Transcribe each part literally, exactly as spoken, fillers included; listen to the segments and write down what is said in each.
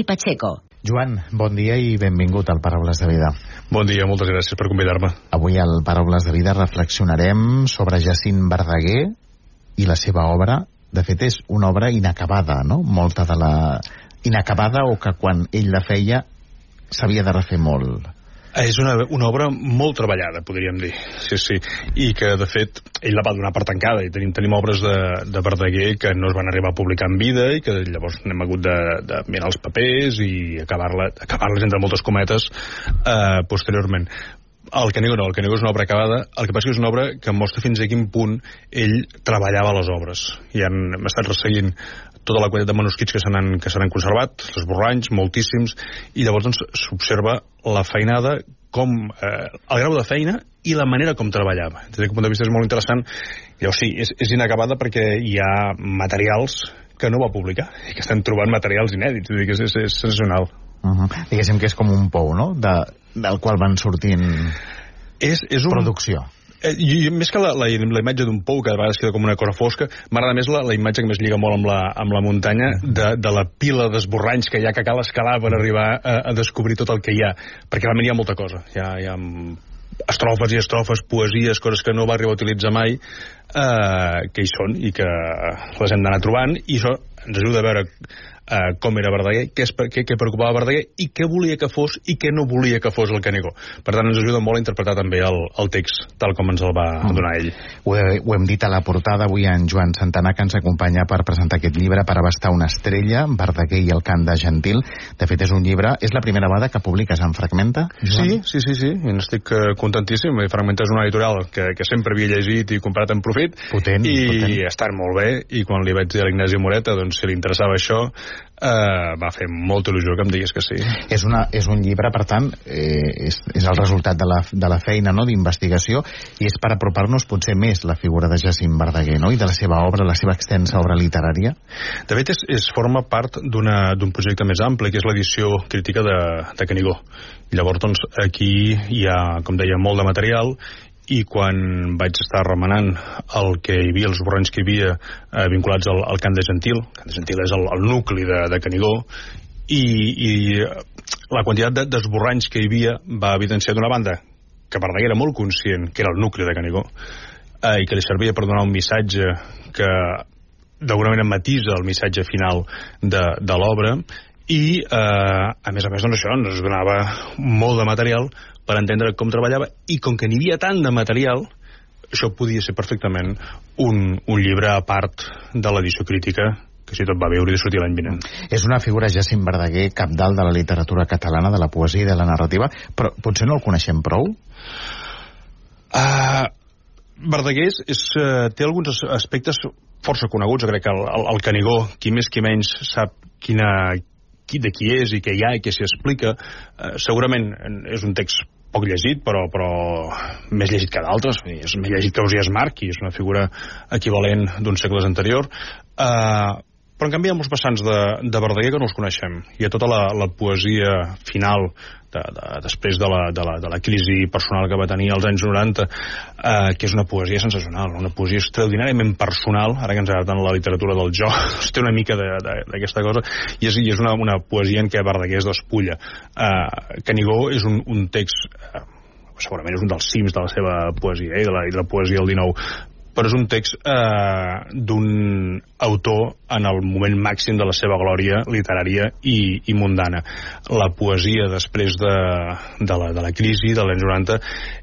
i Pacheco. Joan, bon dia i benvingut al Paraules de Vida. Bon dia, moltes gràcies per convidar-me. Avui al Paraules de Vida reflexionarem sobre Jacint Verdaguer i la seva obra. De fet, és una obra inacabada, no? Molta de la... inacabada, o que quan ell la feia s'havia de refer molt. És una, una obra molt treballada, podríem dir, sí, sí, i que, de fet, ell la va donar per tancada, i tenim, tenim obres de, de Verdaguer que no es van arribar a publicar en vida, i que llavors n'hem hagut de, de mirar els papers i acabar-la, acabar-les entre moltes cometes eh, posteriorment. El Canigó no, el Canigó és una obra acabada. El que passa que és una obra que mostra fins a quin punt ell treballava les obres. I han, hem estat resseguint tota la quantitat de manuscrits que se n'han que se n'han conservat, els esborranys, moltíssims, i llavors doncs s'observa la feinada, com eh, el grau de feina i la manera com treballava. Des d'aquest punt de vista és molt interessant. Llavors sí, és, és inacabada perquè hi ha materials que no va publicar i que estan trobant materials inèdits. És, és, és sensacional. Uh-huh. Diguéssim que és com un pou, no?, de, del qual van sortint és, és un... producció. Eh, i, més que la, la, la imatge d'un pou, que a vegades queda com una cosa fosca, m'agrada més la, la imatge que més lliga molt amb la, amb la muntanya, de, de la pila d'esborranys que hi ha, que cal escalar per arribar a, a descobrir tot el que hi ha, perquè realment hi ha molta cosa. Hi ha, hi ha estrofes i estrofes, poesies, coses que no va arribar a utilitzar mai, eh, que hi són i que les hem d'anar trobant, i això ens ajuda a veure Uh, com era Verdaguer, què, es, què, què preocupava Verdaguer i què volia que fos i què no volia que fos el Canigó. Per tant, ens ajuda molt a interpretar també el, el text tal com ens el va mm. donar ell. Ho, he, ho hem dit a la portada avui en Joan Santana, que ens acompanya per presentar aquest llibre, Per abastar una estrella, Verdaguer i el cant de Gentil. De fet, és un llibre, és la primera vegada que publiques en Fragmenta, Joan? Sí, sí, sí, sí. I n'estic uh, contentíssim. Fragmenta és una editorial que, que sempre havia llegit i comprat en profit. Potent, i potent. Està molt bé, i quan li vaig dir a l'Ignasi Moreta, doncs, si li interessava això, Uh, va fer molta il·lusió que em digués que sí. És, una, és un llibre, per tant, eh, és, és el resultat de la, de la feina, no?, d'investigació, i és per apropar-nos potser més la figura de Jacint Verdaguer, no?, i de la seva obra, la seva extensa obra literària. De fet, és, és forma part d'un projecte més ampli, que és l'edició crítica de, de Canigó. I llavors, doncs, aquí hi ha, com deia, molt de material, i quan vaig estar remenant el que hi havia, els esborranys que hi havia eh, vinculats al, al cant de Gentil, el cant de Gentil és el, el nucli de, de Canigó, i, i la quantitat d'esborranys que hi havia va evidenciar d'una banda que Verdaguer era molt conscient que era el nucli de Canigó, eh, i que li servia per donar un missatge que d'alguna manera matisa el missatge final de, de l'obra, i eh, a més a més doncs això ens donava molt de material per entendre com treballava, i com que n'hi havia tant de material, això podia ser perfectament un, un llibre a part de l'edició crítica, que si tot va bé hauria de sortir l'any vinent. És una figura, Jacint Verdaguer, cabdal de la literatura catalana, de la poesia i de la narrativa, però potser no el coneixem prou? Uh, Verdaguer és, és, uh, té alguns aspectes força coneguts. Jo crec que el, el, el Canigó, qui més qui menys sap quina, qui, de qui és i què hi ha i què s'hi explica. Uh, segurament és un text poc llegit, però, però més llegit que d'altres. És més llegit que Ausiàs March, i és una figura equivalent d'uns segles anterior. Uh, però en canvi hi ha molts vessants de, de Verdaguer que no els coneixem. Hi ha tota la, la poesia final de, de, després de la, de, la, de la crisi personal que va tenir als anys noranta, eh, que és una poesia sensacional, una poesia extraordinàriament personal. Ara que ens agrada tant la literatura del jo, té una mica d'aquesta cosa, i és, i és una, una poesia en què Verdaguer es despulla. eh, Canigó és un, un text eh, segurament és un dels cims de la seva poesia, eh, i, de la, i de la poesia del dinou, però és un text eh, d'un autor en el moment màxim de la seva glòria literària i, i mundana. La poesia després de, de, la, de la crisi dels anys noranta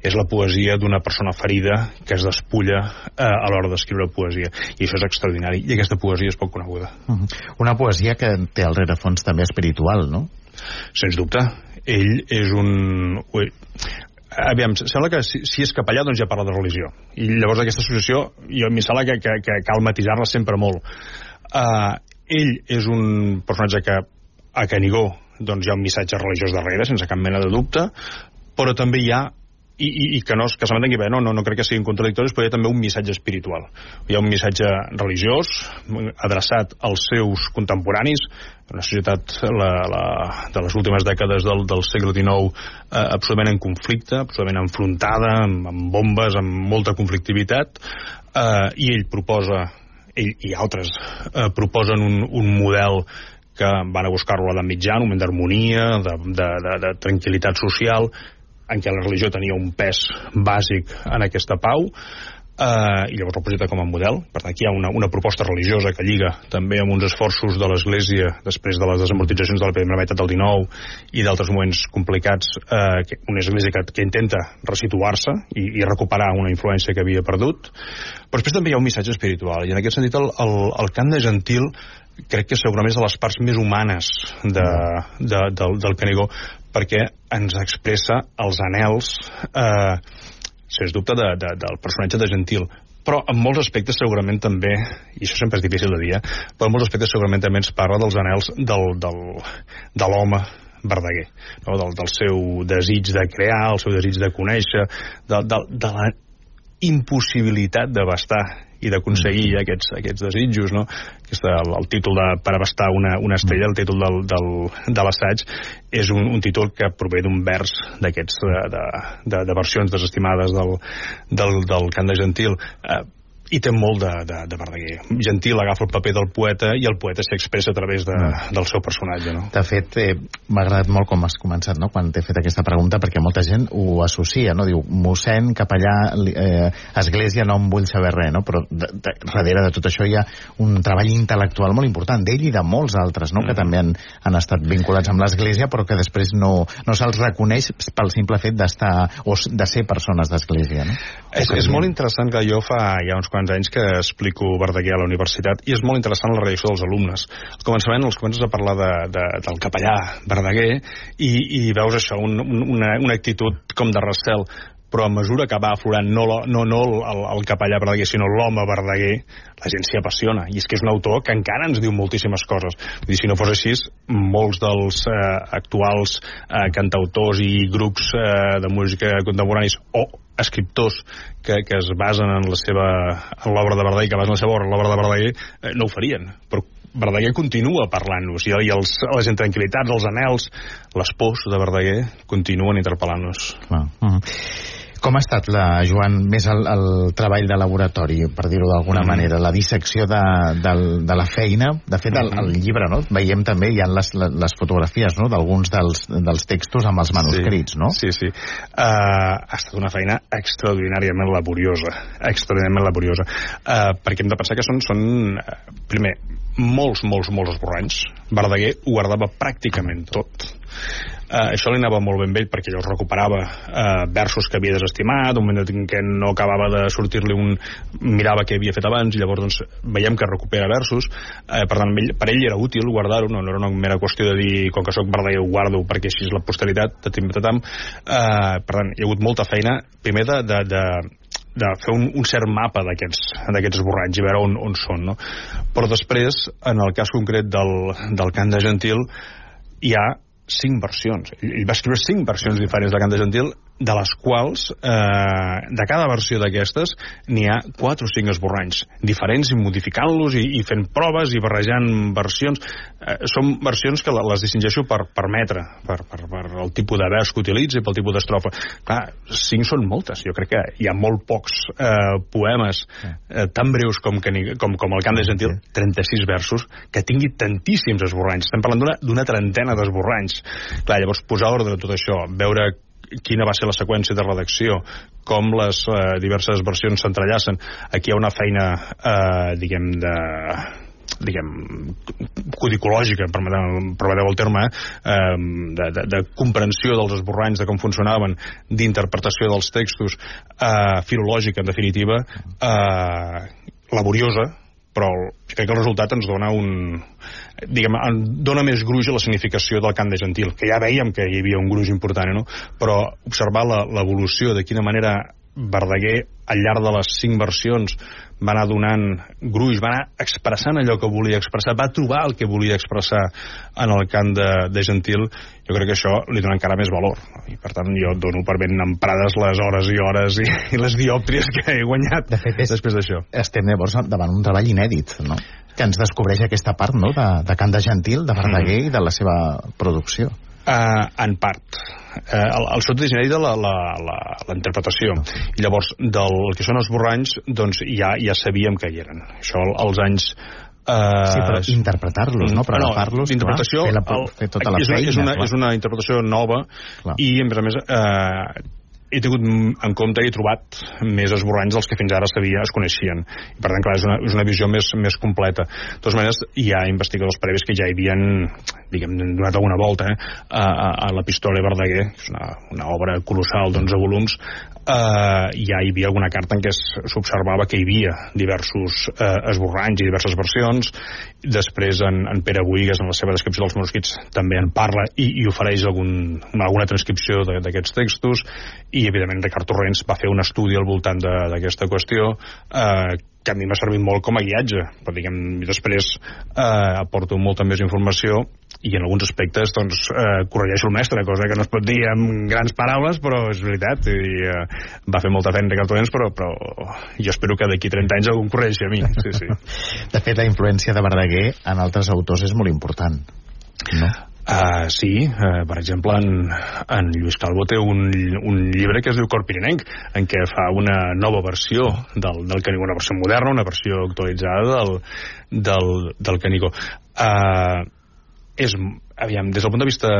és la poesia d'una persona ferida que es despulla eh, a l'hora d'escriure poesia, i això és extraordinari, i aquesta poesia és poc coneguda. Uh-huh. Una poesia que té al rerefons també espiritual, no? Sens dubte. Ell és un... Ui, aviam, sembla que si, si és capellà doncs ja parla de religió, i llavors aquesta associació jo m'hi sembla que, que, que cal matisar-la sempre molt. Uh, ell és un personatge que a Canigó doncs hi ha un missatge religiós darrere, sense cap mena de dubte, però també hi ha i, i, i que, no, que se m'entengui bé, no, no, no crec que siguin contradictoris, però hi ha també un missatge espiritual. Hi ha un missatge religiós adreçat als seus contemporanis, una societat la, la, de les últimes dècades del, del segle dinou eh, absolutament en conflicte, absolutament enfrontada, amb, amb bombes, amb molta conflictivitat, eh, i ell proposa, ell i altres eh, proposen un, un model que van a buscar-lo a mitjà, un moment d'harmonia, de, de, de, de tranquil·litat social, en què la religió tenia un pes bàsic en aquesta pau, Uh, i llavors el projecte com a model. Per tant, aquí hi ha una, una proposta religiosa que lliga també amb uns esforços de l'Església després de les desamortitzacions de la primera meitat del dinou i d'altres moments complicats, uh, que, una Església que, que intenta resituar-se i, i recuperar una influència que havia perdut. Però després també hi ha un missatge espiritual, i en aquest sentit el, el, el cant de Gentil crec que segurament és de les parts més humanes de, de, del, del Canigó, perquè ens expressa els anhels eh, sens dubte de, de, del personatge de Gentil, però en molts aspectes segurament també, i això sempre és difícil de dir, eh, però en molts aspectes segurament també ens parla dels anhels del, del, de l'home Verdaguer, no? del, del seu desig de crear, el seu desig de conèixer, de, de, de la impossibilitat d'abastar i d'aconseguir mm. aquests, aquests desitjos, no? Aquesta, el, el títol de Per abastar una, una estrella, el títol del, del, de l'assaig, és un, un títol que prové d'un vers d'aquests de, de, de, de versions desestimades del, del, del cant de Gentil, eh, i té molt de, de, de Verdaguer. Gentil agafa el paper del poeta i el poeta s'expressa a través de, mm. del seu personatge, no? De fet, eh, m'ha agradat molt com has començat, no?, quan t'he fet aquesta pregunta, perquè molta gent ho associa, no? Diu, mossèn, capellà, eh, església, no em vull saber res, no? Però de, de, darrere de tot això hi ha un treball intel·lectual molt important, d'ell i de molts altres, no?, mm. que també han, han estat vinculats amb l'església, però que després no, no se'ls reconeix pel simple fet d'estar, o de ser persones d'església, no? És, és molt interessant que jo fa ja uns quants anys que explico Verdaguer a la universitat, i és molt interessant la reacció dels alumnes. Al començament els comences a parlar de, de, del capellà Verdaguer i, i veus això, un, una, una actitud com de recel, però a mesura que va aflorant no, no, no el, el capellà Verdaguer, sinó l'home Verdaguer, la gent s'hi apassiona, i és que és un autor que encara ens diu moltíssimes coses. Vull dir, si no fos així, molts dels eh, actuals eh, cantautors i grups eh, de música contemporanis o escriptors que, que es basen en la seva en l'obra de Verdaguer, que basen la seva obra en l'obra de Verdaguer, eh, no ho farien, però Verdaguer continua parlant-nos, i, i els, les intranquil·litats, els anhels, les pors de Verdaguer continuen interpel·lant-nos. Ah, uh-huh. Com ha estat, la, Joan, més el, el treball de laboratori, per dir-ho d'alguna mm. manera, la dissecció de, de, de la feina? De fet, el, el llibre, no?, veiem també, hi ha les, les fotografies, no?, d'alguns dels, dels textos amb els manuscrits, sí, no? Sí, sí. Uh, ha estat una feina extraordinàriament laboriosa, extraordinàriament laboriosa, uh, perquè hem de pensar que són, són uh, primer, molts, molts, molts esborranys. Verdaguer ho guardava pràcticament tot. Uh, això li anava molt ben vell, perquè llavors recuperava uh, versos que havia desestimat, un moment en què no acabava de sortir-li un... mirava què havia fet abans, i llavors doncs, veiem que recupera versos. Uh, per tant, per ell era útil guardar-ho, no, no era una mera qüestió de dir, com que soc Verdaguer ho guardo perquè així és la posteritat, tatim tatam. Uh, per tant, hi ha hagut molta feina, primer de, de, de de fer un, un cert mapa d'aquests esborranys i veure on, on són, no? Però després, en el cas concret del, del cant de Gentil, hi ha cinc versions. Ell va escriure cinc versions diferents del cant de Gentil, de les quals, eh, de cada versió d'aquestes, n'hi ha quatre o cinc esborranys diferents, i modificant-los, i, i fent proves, i barrejant versions. Eh, són versions que les distingeixo per, per metre, per, per, per el tipus de vers que utilitza i pel tipus d'estrofa. Clar, cinc són moltes. Jo crec que hi ha molt pocs eh, poemes eh, tan breus com, que, com, com el cant de Gentil, trenta-sis versos, que tingui tantíssims esborranys. Estem parlant d'una trentena d'esborranys. Clar, llavors posar ordre a tot això, veure quina va ser la seqüència de redacció, com les eh, diverses versions s'entrellacen. Aquí hi ha una feina, eh, diguem, de diguem, codicològica, permeteu, permeteu el terme, eh, de, de, de comprensió dels esborranys, de com funcionaven, d'interpretació dels textos, eh, filològica, en definitiva, eh, laboriosa, però crec que el resultat ens dona un... diguem, dona més gruix a la significació del cant de Gentil, que ja veiem que hi havia un gruix important, no? Però observar l'evolució, de quina manera Verdaguer, al llarg de les cinc versions, va anar donant gruix, va anar expressant allò que volia expressar, va trobar el que volia expressar en el cant de, de Gentil. Jo crec que això li dona encara més valor, no? I per tant jo dono per ben emprades les hores i hores i, i les diòptries que he guanyat de fet, és, després d'això. Estem llavors davant un treball inèdit, no?, que ens descobreix aquesta part, no?, de, de cant de Gentil, de Verdaguer, mm. i de la seva producció. Uh, en part. Uh, el, el sot és inèdit de la, la, la, la interpretació. I llavors, del que són els esborranys, doncs ja, ja sabíem que hi eren. Això als anys Uh, sí, però interpretar-los, no? Però agafar-los, interpretació, fer, la, fer tota la és, feina. És una, és una interpretació nova, clar. I, a més a més, eh, he tingut en compte i he trobat més esborranys dels que fins ara sabia, es coneixien. I, per tant, clar, és una, és una visió més, més completa. De totes maneres, hi ha investigadors previs que ja hi havien, diguem, donat alguna volta eh, a, a, a l'Epistòria Verdaguer, que és una, una obra colossal d'onze volums, eh, ja hi havia alguna carta en què s'observava que hi havia diversos eh, esborranys i diverses versions. Després, en, en Pere Boïgues, en la seva descripció dels manuscrits, també en parla i, i ofereix algun, alguna transcripció d'aquests textos. I, evidentment, Ricard Torrents va fer un estudi al voltant d'aquesta qüestió eh, que a mi m'ha servit molt com a guiatge, però, diguem, després eh, aporto molta més informació i en alguns aspectes, doncs, eh, corregeixo el mestre, cosa que no es pot dir amb grans paraules, però és veritat, i eh, va fer molta feina Ricard Torrents, però, però jo espero que d'aquí trenta anys algú em corregeixi a mi. Sí, sí. De fet, la influència de Verdaguer en altres autors és molt important, no? Uh, sí, uh, per exemple, en, en Lluís Calvo té un, un llibre que es diu Cor Pirinenc, en què fa una nova versió del, del Canigó, una versió moderna, una versió actualitzada del, del, del Canigó. Uh, és, aviam, des del punt de vista...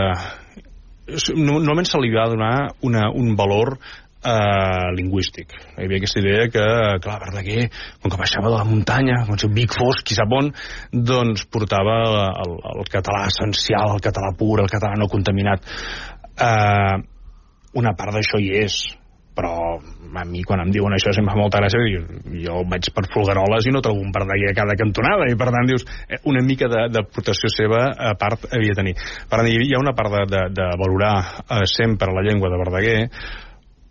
Normalment se li va donar una, un valor Uh, lingüístic. Hi havia aquesta idea que, clar, Verdaguer, com que baixava de la muntanya, com si Vic fosc i Sapon, doncs portava el, el català essencial, el català pur, el català no contaminat. Uh, una part d'això hi és, però a mi quan em diuen això sempre fa molta gràcia, jo, jo vaig per Folgueroles i no trobo un Verdaguer a cada cantonada, i per tant dius, una mica d'aportació seva a part havia de tenir. Per tant, hi ha una part de, de, de valorar uh, sempre la llengua de Verdaguer,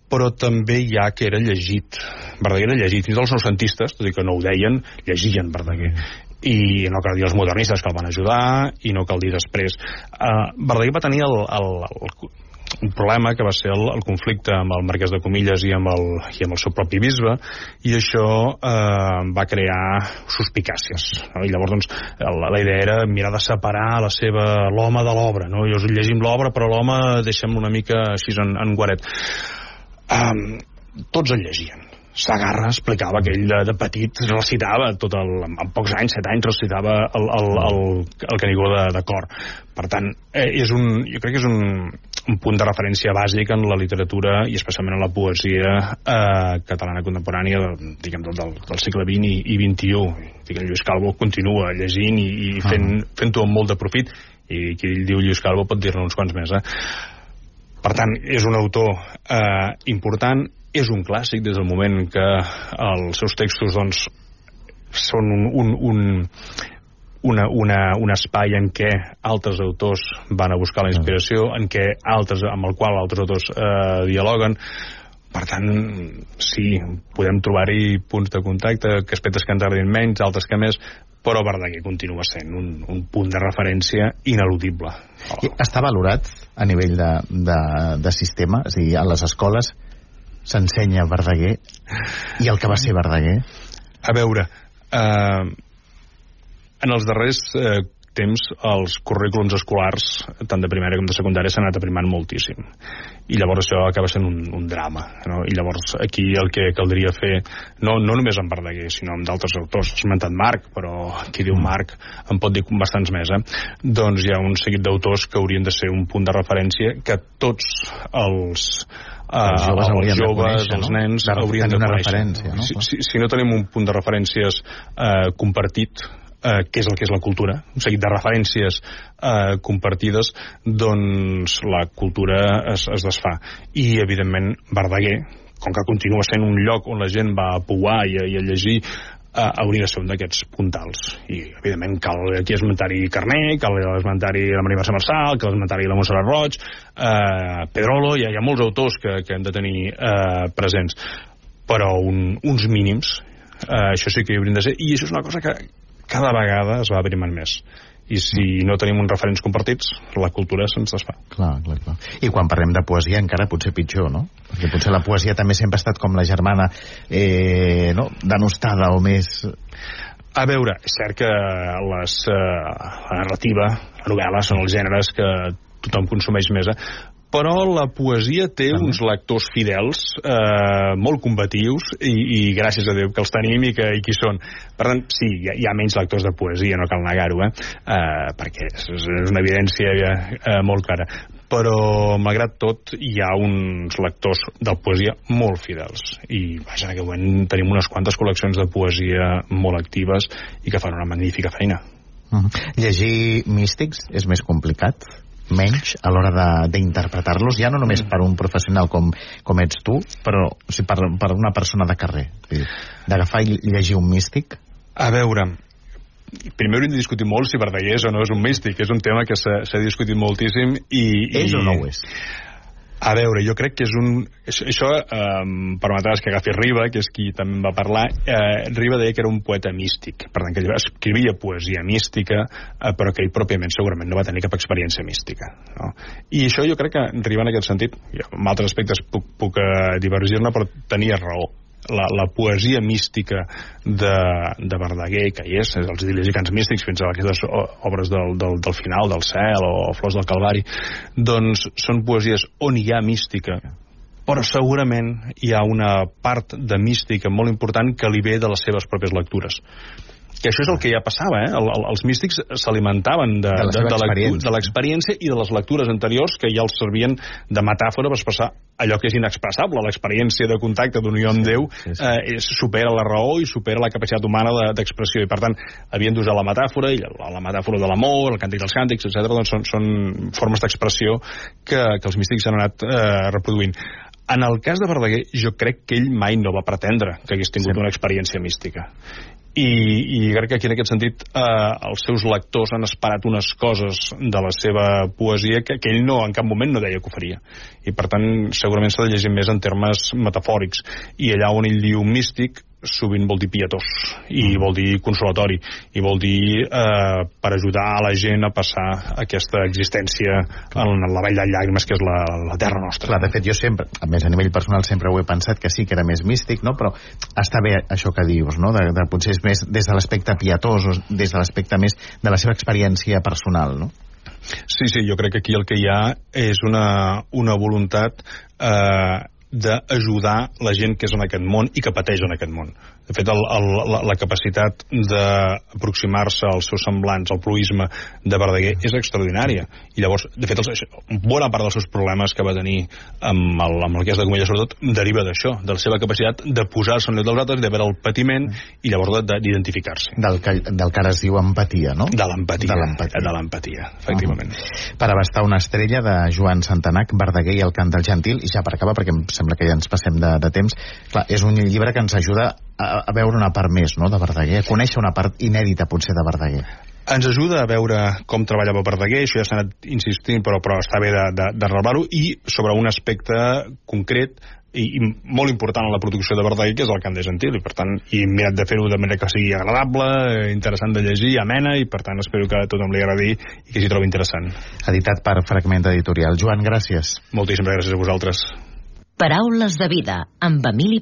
però també hi ha que era llegit. Verdaguer era llegit. Fins als noucentistes, tot i que no ho deien, llegien Verdaguer. I no cal dir els modernistes que el van ajudar, i no cal dir després. Uh, Verdaguer va tenir el, el, el, un problema que va ser el, el conflicte amb el marquès de Comilles i amb el, i amb el seu propi bisbe, i això eh, va crear suspicàcies, no? I llavors doncs, la, la idea era mirar de separar la seva l'home de l'obra, no? Jo llegim l'obra, però l'home deixem una mica així en, en guaret. Um, tots el llegien. Sagarra explicava que ell de, de petit recitava tot el, en pocs anys, set anys, recitava el, el, el, el Canigó de, de cor. Per tant, eh, és un, jo crec que és un, un punt de referència bàsic en la literatura i especialment en la poesia eh, catalana contemporània, diguem, del, del segle vint i, i vint-i-u. Diguem, Lluís Calvo continua llegint i, i fent, fent-ho amb molt de profit, i qui diu Lluís Calvo pot dir-ne uns quants més, eh? Per tant, és un autor eh, important, és un clàssic des del moment que els seus textos doncs, són un, un, un, una, una, un espai en què altres autors van a buscar la inspiració, en què altres, amb el qual altres autors eh, dialoguen. Per tant, sí, podem trobar-hi punts de contacte, que aspectes que ens agradin menys, altres que més, però Verdaguer continua sent un, un punt de referència ineludible. Oh. Està valorat a nivell de, de, de sistema? És a dir, a les escoles s'ensenya Verdaguer i el que va ser Verdaguer? A veure, eh, en els darrers eh, temps els currículums escolars, tant de primària com de secundària, s'han anat aprimant moltíssim. I llavors això acaba sent un, un drama, no? I llavors aquí el que caldria fer, no, no només amb Verdaguer, sinó amb d'altres autors, has esmentat Marc, però qui diu Marc en pot dir bastants més, eh? Doncs hi ha un seguit d'autors que haurien de ser un punt de referència que tots els Uh, els joves, els, joves, conèixer, els nens no? haurien de conèixer. Referència, no? Si, si, si no tenim un punt de referències uh, compartit, uh, que és el que és la cultura, un seguit de referències uh, compartides, doncs la cultura es, es desfà. I, evidentment, Verdaguer, com que continua sent un lloc on la gent va a pouar i a, i a llegir, Uh, hauria de ser un d'aquests puntals. I, evidentment, cal aquí esmentar-hi Carner, cal esmentar-hi la Maria Mercè Marçal, cal esmentar-hi la Montserrat Roig, uh, Pedrolo, hi ha, hi ha molts autors que, que hem de tenir uh, presents. Però un, uns mínims, uh, això sí que hi haurien de ser, i això és una cosa que cada vegada es va aprimant més. I si no tenim uns referents compartits, la cultura se'ns desfà. Clar, clar, clar. I quan parlem de poesia encara potser pitjor, no? Perquè potser la poesia també sempre ha estat com la germana eh, no? denostada o més... A veure, és cert que les, eh, la narrativa, la novel·la, són els gèneres que tothom consumeix més, eh? però la poesia té També. uns lectors fidels, eh, molt combatius, i, i gràcies a Déu que els tenim i que i qui són. Per tant, sí, hi ha, hi ha menys lectors de poesia, no cal negar-ho, eh? Eh, perquè és, és una evidència eh, molt clara. Però, malgrat tot, hi ha uns lectors de poesia molt fidels. I, vaja, en aquest moment tenim unes quantes col·leccions de poesia molt actives i que fan una magnífica feina. Uh-huh. Llegir místics és més complicat? Menys a l'hora d'interpretar-los, ja no només per un professional com, com ets tu, però o sigui, per, per una persona de carrer. D'agafar i llegir un místic? A veure, primer hauríem de discutir molt si Verdaguer és o no és un místic. És un tema que s'ha discutit moltíssim i... És i... o no ho és? A veure, jo crec que és un... Això eh, permetràs que agafi Riba, que és qui també va parlar. Eh, Riba deia que era un poeta místic, per tant, que escrivia poesia mística, eh, però que ell pròpiament segurament no va tenir cap experiència mística. No? I això jo crec que Riba, en aquest sentit, en altres aspectes puc, puc eh, divergir-ne, però tenia raó. La, la poesia mística de, de Verdaguer, que hi és, els idil·lis i cants místics, fins a aquestes obres del, del, del final, del cel o Flors del Calvari, doncs són poesies on hi ha mística, però segurament hi ha una part de mística molt important que li ve de les seves pròpies lectures. Que això és el que ja passava, eh? El, el, els místics s'alimentaven de, de, de, de, de l'experiència i de les lectures anteriors que ja els servien de metàfora per expressar allò que és inexpressable. L'experiència de contacte d'unió amb Déu sí, sí, sí. Eh, supera la raó i supera la capacitat humana d'expressió, i per tant havien d'usar la metàfora, i la, la metàfora de l'amor, el càntic dels càntics, etcètera. Doncs són, són formes d'expressió que, que els místics han anat eh, reproduint. En el cas de Verdaguer, jo crec que ell mai no va pretendre que hagués tingut sí. una experiència mística. I, i crec que aquí en aquest sentit eh, els seus lectors han esperat unes coses de la seva poesia que, que ell no, en cap moment no deia que ho faria, i per tant segurament s'ha de llegir més en termes metafòrics, i allà on ell diu místic sovint vol dir pietós, i vol dir consolatori, i vol dir eh, per ajudar a la gent a passar aquesta existència en la vall de llàgrimes que és la, la terra nostra. Clar, de fet jo sempre, a més a nivell personal sempre ho he pensat que sí, que era més místic, no? Però està bé això que dius, no? De, de, potser és més des de l'aspecte pietós o des de l'aspecte més de la seva experiència personal, no? Sí, sí, jo crec que aquí el que hi ha és una, una voluntat eh, d'ajudar la gent que és en aquest món i que pateix en aquest món. De fet, el, el, la, la capacitat d'aproximar-se als seus semblants, al proïsme de Verdaguer, és extraordinària. I llavors, de fet, els, bona part dels seus problemes que va tenir amb el, amb el que és de Comella, sobretot, deriva d'això, de la seva capacitat de posar-se en lloc dels altres, de veure el patiment i llavors d'identificar-se. Del que, del que ara es diu empatia, no? De l'empatia, de l'empatia, efectivament. Uh-huh. Per abastar una estrella, de Joan Santanac, Verdaguer i el cant del gentil, i ja per acabar, perquè em sembla que ja ens passem de, de temps. Clar, és un llibre que ens ajuda a, a veure una part més, no?, de Verdaguer, a conèixer una part inèdita potser de Verdaguer. Ens ajuda a veure com treballava Verdaguer, això ja s'ha anat insistint, però, però està bé de, de, de revelar-ho, i sobre un aspecte concret i, i molt important en la producció de Verdaguer, que és el cant de gentil, i per tant he mirat de fer-ho de manera que sigui agradable, interessant de llegir, amena, i per tant espero que a tothom li agradi i que s'hi trobi interessant. Editat per Fragment Editorial. Joan, gràcies. Moltíssimes gràcies a vosaltres. Paraules de vida, amb Emili